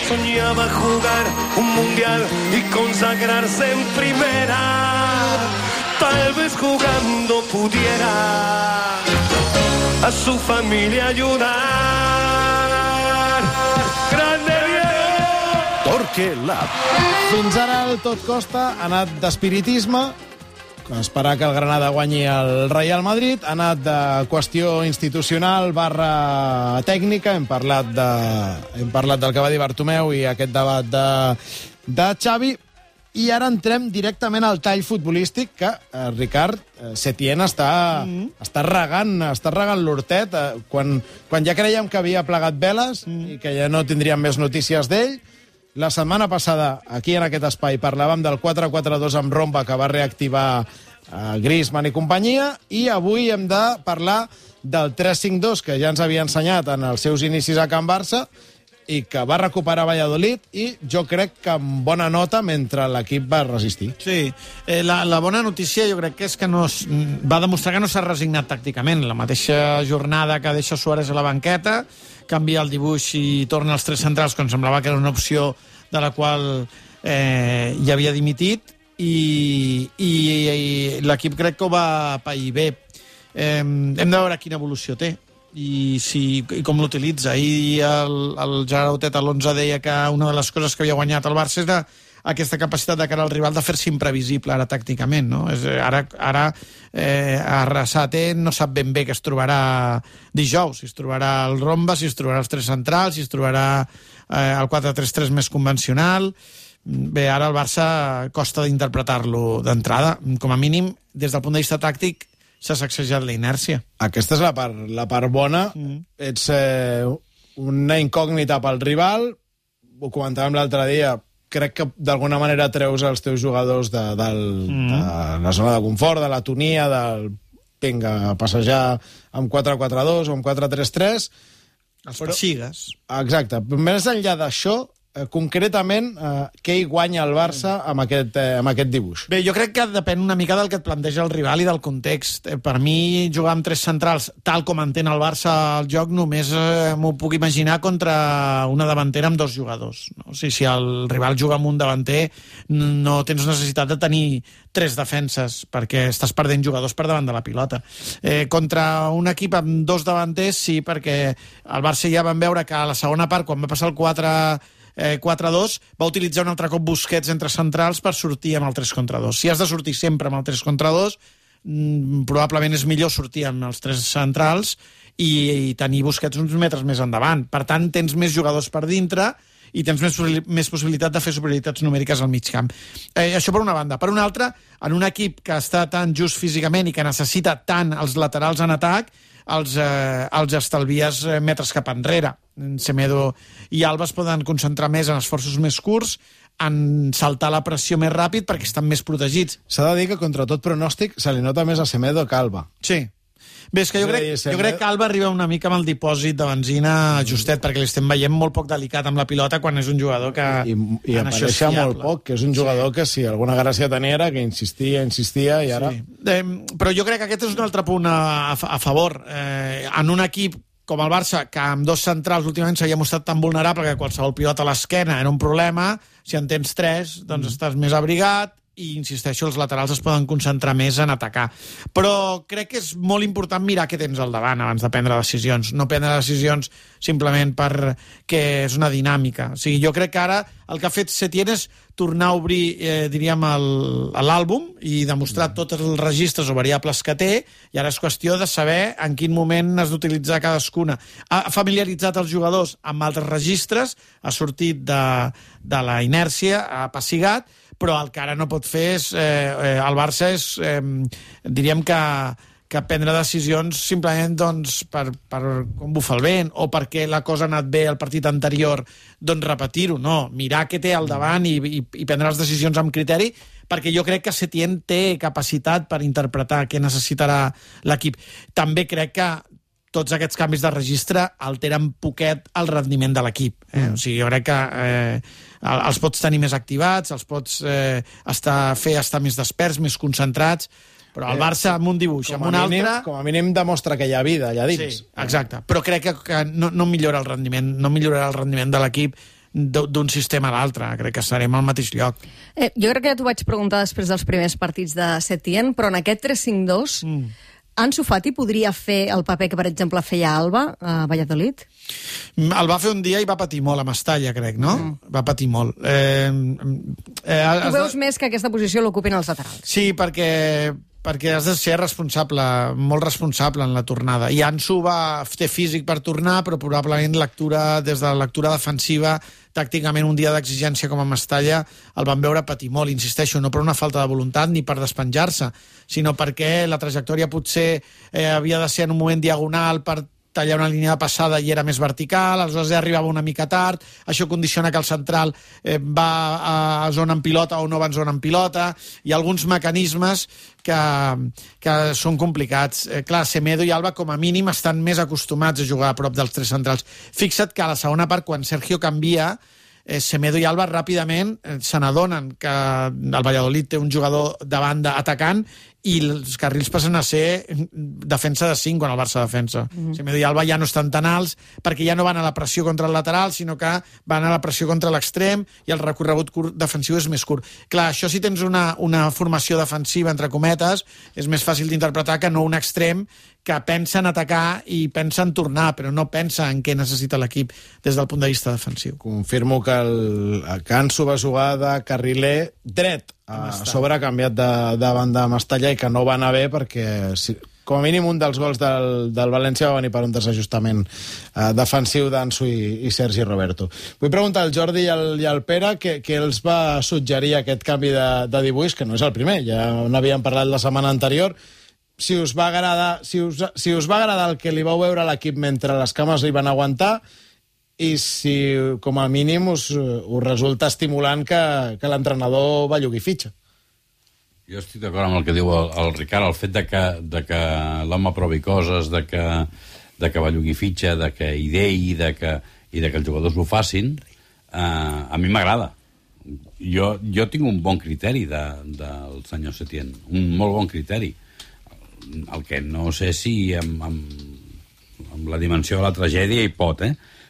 soñaba jugar un mundial y consagrarse en primera. Tal vez jugando pudiera a su familia ayudar. ¡Grande Diego! Torque Lab. Fins ara el Tot Costa ha anat d'espiritisme, esperar que el Granada guanyi el Real Madrid, ha anat de qüestió institucional / tècnica, hem parlat del que va dir Bartomeu i aquest debat de Xavi, i ara entrem directament al tall futbolístic que Ricard Setién està regant l'hortet quan ja creiem que havia plegat veles i que ja no tindríem més notícies d'ell. La setmana passada, aquí en aquest espai, parlàvem del 4-4-2 amb Romba, que va reactivar Griezmann i companyia, i avui hem de parlar del 3-5-2, que ja ens havia ensenyat en els seus inicis a Can Barça, i que va recuperar Valladolid, i jo crec que amb bona nota mentre l'equip va resistir. Sí, la bona notícia jo crec que és que va demostrar que no s'ha resignat tàcticament. La mateixa jornada que deixa Suárez a la banqueta, canvia el dibuix i torna als tres centrals, quan semblava que era una opció de la qual ja havia dimitit, i l'equip crec que ho va pair bé. Hem de veure quina evolució té i com l'utilitza. I el Gerard Hotet a l'11 deia que una de les coses que havia guanyat el Barça era aquesta capacitat de cara al rival de fer-se imprevisible ara tàcticament, no? Ara Arrasate no sap ben bé què es trobarà dijous, si es trobarà el Romba, si es trobarà els tres centrals, si es trobarà el 4-3-3 més convencional. Bé, ara el Barça costa d'interpretar-lo d'entrada. Com a mínim, des del punt de vista tàctic, s'ha sacsejat la inèrcia. Aquesta és la part bona. Ets una incògnita pel rival. Ho comentàvem l'altre dia. Crec que d'alguna manera treus els teus jugadors de la zona de confort, de l'atonia, del vinga, passejar amb 4-4-2 o amb 4-3-3. Els pessigues. Exacte. Més enllà d'això, concretament, què hi guanya el Barça amb aquest dibuix? Bé, jo crec que depèn una mica del que et planteja el rival i del context. Per mi, jugar amb tres centrals, tal com entén el Barça el joc, només m'ho puc imaginar contra una davantera amb dos jugadors. No? O sigui, si el rival juga amb un davanter, no tens necessitat de tenir tres defenses, perquè estàs perdent jugadors per davant de la pilota. Contra un equip amb dos davanters, sí, perquè el Barça ja vam veure que a la segona part, quan va passar el 4-2, va utilitzar un altre cop Busquets entre centrals per sortir amb el 3-2. Si has de sortir sempre amb el 3-2, probablement és millor sortir amb els tres centrals i tenir Busquets uns metres més endavant. Per tant, tens més jugadors per dintre i tens més possibilitat de fer superioritats numèriques al mig camp. Això per una banda. Per una altra, en un equip que està tan just físicament i que necessita tant els laterals en atac, els estalvies metres cap enrere. Semedo i Alba es poden concentrar més en esforços més curts, en saltar la pressió més ràpid perquè estan més protegits. S'ha de dir que contra tot pronòstic se li nota més a Semedo que a Alba. Sí. Bé, és que jo crec que Alba arriba una mica amb el dipòsit de benzina justet, perquè l'estem veient molt poc delicat amb la pilota quan és un jugador que I apareixia molt poc, que és un jugador que si alguna gràcia tenia era que insistia i ara... Sí. Però jo crec que aquest és un altre punt a favor. En un equip com el Barça, que amb dos centrals últimament s'havia mostrat tan vulnerable que qualsevol pilota a l'esquena era un problema, si en tens tres, doncs estàs més abrigat, i, insisteixo, els laterals es poden concentrar més en atacar. Però crec que és molt important mirar què tens al davant abans de prendre decisions. No prendre decisions simplement perquè és una dinàmica. O sigui, jo crec que ara el que ha fet Setién és tornar a obrir, diríem, l'àlbum i demostrar tots els registres o variables que té, i ara és qüestió de saber en quin moment has d'utilitzar cadascuna. Ha familiaritzat els jugadors amb altres registres, ha sortit de la inèrcia, ha passigat, però el que ara no pot fer és... el Barça és, diríem que prendre decisions simplement doncs, per com bufa el vent o perquè la cosa ha anat bé el partit anterior, doncs repetir-ho. No, mirar què té al davant i prendre les decisions amb criteri, perquè jo crec que Setién té capacitat per interpretar què necessitarà l'equip. També crec que tots aquests canvis de registre alteren poquet el rendiment de l'equip. O sigui, jo crec que els pots tenir més activats, els pots fer estar més desperts, més concentrats, però el Barça amb un dibuix, amb un altre... Com a mínim demostra que hi ha vida allà dins. Sí, exacte. Però crec que no millora el rendiment, no millorarà el rendiment de l'equip d'un sistema a l'altre. Crec que estarem al mateix lloc. Jo crec que ja t'ho vaig preguntar després dels primers partits de Setién, però en aquest 3-5-2 Ansu Fati podria fer el paper que, per exemple, feia Alba a Valladolid? El va fer un dia i va patir molt a Mestalla, crec, no? Va patir molt. Tu veus més que aquesta posició l'ocupin els laterals? Sí, perquè has de ser responsable, molt responsable en la tornada. I Ansu té físic per tornar, però probablement des de la lectura defensiva, tàcticament un dia d'exigència com a Mestalla, el van veure patir molt, insisteixo, no per una falta de voluntat ni per despenjar-se, sinó perquè la trajectòria potser havia de ser en un moment diagonal per tallar una línia de passada i era més vertical, aleshores arribava una mica tard, això condiciona que el central va a zona en pilota o no va en zona en pilota, hi ha alguns mecanismes que són complicats. Clar, Semedo i Alba com a mínim estan més acostumats a jugar a prop dels tres centrals. Fixa't que a la segona part, quan Sergio canvia, Semedo i Alba ràpidament se n'adonen que el Valladolid té un jugador de banda atacant i els carrils passen a ser defensa de 5 quan el Barça defensa. Semedo i Alba ja no estan tan alts perquè ja no van a la pressió contra el lateral, sinó que van a la pressió contra l'extrem i el recorregut defensiu és més curt. Clar, això si tens una formació defensiva, entre cometes, és més fàcil d'interpretar que no un extrem que pensa en atacar i pensa en tornar, però no pensa en què necessita l'equip des del punt de vista defensiu. Confirmo que el Ansu va jugar de carriler dret, a sobre ha canviat de banda a Mestalla i que no va anar bé perquè com a mínim un dels gols del València va venir per un desajustament defensiu d'Ansu i Sergi Roberto. Vull preguntar al Jordi i al Pere què els va suggerir aquest canvi de dibuix, que no és el primer, ja n'havíem parlat la setmana anterior. Si us va agradar el que li vau veure a l'equip mentre les cames li van aguantar i si, com a mínim, us resulta estimulant que l'entrenador bellugui fitxa. Jo estic d'acord amb el que diu el Ricard, el fet de que l'home provi coses, de que bellugui fitxa, de que ideï i de que els jugadors ho facin, a mi m'agrada. Jo tinc un bon criteri del senyor Setién, un molt bon criteri. El que no sé si amb la dimensió de la tragèdia hi pot,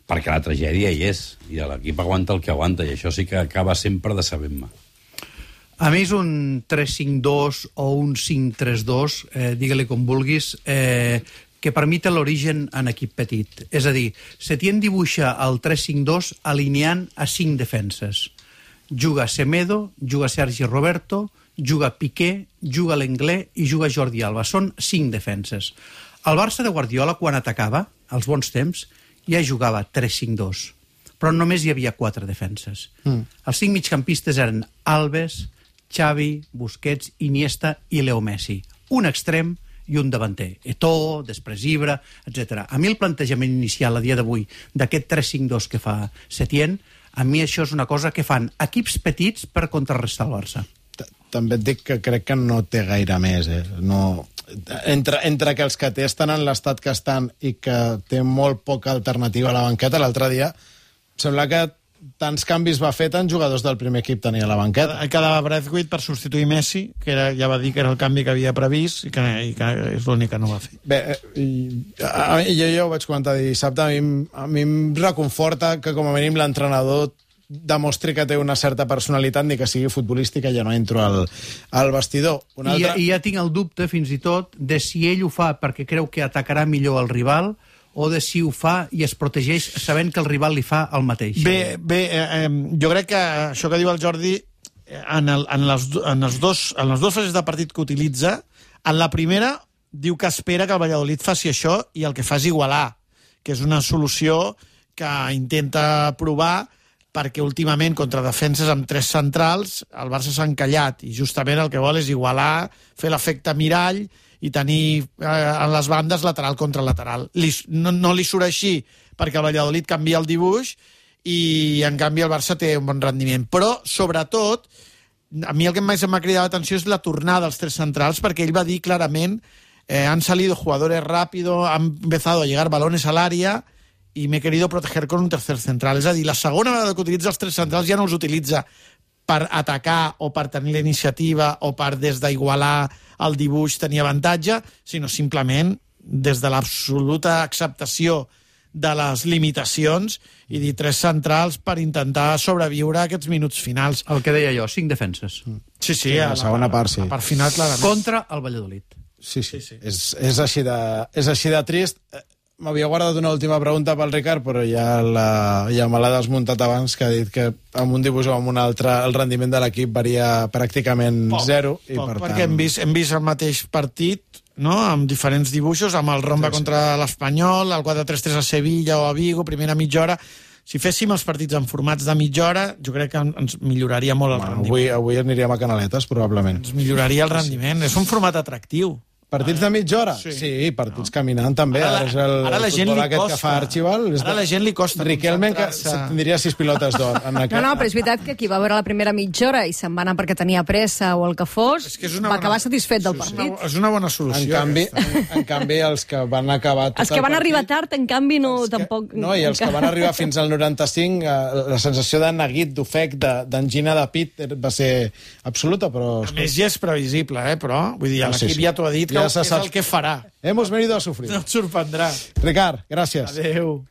perquè la tragèdia hi és, i l'equip aguanta el que aguanta, i això sí que acaba sempre decebent-me. A mi és un 3-5-2 o un 5-3-2, digue-li com vulguis, que per mi té l'origen en equip petit. És a dir, Setién dibuixa el 3-5-2 alineant a 5 defenses. Juga Semedo, juga Sergi Roberto, juga Piqué, juga Lenglet i juga Jordi Alba. Són 5 defenses. El Barça de Guardiola, quan atacava, als bons temps, ja jugava 3-5-2, però només hi havia 4 defenses. Els 5 migcampistes eren Alves, Xavi, Busquets, Iniesta i Leo Messi. Un extrem i un davanter. Eto'o, després Ibra, etc. A mi el plantejament inicial a dia d'avui d'aquest 3-5-2 que fa Setién, a mi això és una cosa que fan equips petits per contrarrestar el Barça. També et dic que crec que no té gaire més. No... Entre que els que té estan en l'estat que estan i que té molt poca alternativa a la banqueta, l'altre dia sembla que tants canvis va fer, tants jugadors del primer equip tenia a la banqueta. Quedava Braithwaite per substituir Messi, que ja va dir que era el canvi que havia previst i que és l'únic que no va fer. Bé, jo ho vaig comentar dissabte, a mi em reconforta que com a mínim l'entrenador demostri que té una certa personalitat, ni que sigui futbolística, ja no entro al vestidor. I ja tinc el dubte, fins i tot, de si ell ho fa perquè creu que atacarà millor el rival o de si ho fa i es protegeix sabent que el rival li fa el mateix. Bé, jo crec que això que diu el Jordi, en les dues fases de partit que utilitza, en la primera diu que espera que el Valladolid faci això i el que fa és igualar, que és una solució que intenta provar perquè últimament contra defenses amb 3 centrals el Barça s'ha encallat i justament el que vol és igualar, fer l'efecte mirall i tenir en les bandes lateral contra lateral. No li surt així perquè el Valladolid canvia el dibuix i en canvi el Barça té un bon rendiment. Però, sobretot, a mi el que més m'ha cridat l'atenció és la tornada dels 3 centrals, perquè ell va dir clarament han salido jugadores rápido, han empezado a llegar balones al área i m'he querido proteger con un tercer central. És a dir, la segona vegada que utilitza els 3 centrals ja no els utilitza per atacar o per tenir la iniciativa o per des d'igualar el dibuix tenir avantatge, sinó simplement des de l'absoluta acceptació de les limitacions i dir 3 centrals per intentar sobreviure a aquests minuts finals. El que deia jo, 5 defenses. Sí, a la segona part, sí. La part final, clarament. Contra el Valladolid. Sí. És així de trist. M'havia guardat una última pregunta pel Ricard, però ja me l'ha desmuntat abans, que ha dit que amb un dibuix o amb un altre el rendiment de l'equip varia pràcticament zero. Perquè hem vist el mateix partit, no?, amb diferents dibuixos, amb el Romba contra l'Espanyol, el 4-3-3 a Sevilla o a Vigo, primera mitja hora. Si féssim els partits en formats de mitja hora, jo crec que ens milloraria molt el rendiment. Avui aniríem a Canaletes, probablement. Ens milloraria el rendiment. És un format atractiu. Partits de mitja hora? Sí, partits caminant també. Ara la gent li costa. Que fa Archibald. Ara la gent li costa. Riquelme que tindria 6 pilotes d'or. No, però és veritat que qui va veure la primera mitja hora i se'n va anar perquè tenia pressa o el que fos, va acabar satisfet del partit. És una bona solució. En canvi, els que van acabar tot els que van arribar tard, en canvi, tampoc... No, i els que van arribar fins al 95, la sensació de neguit, d'ofec, d'angina de pit va ser absoluta, però... A més, ja és previsible, però... Vull dir, l'equip ja t'ho ha dit, que és el que farà. Hemos venido a sufrir. No et sorprendrà. Ricard, gràcies. Adéu.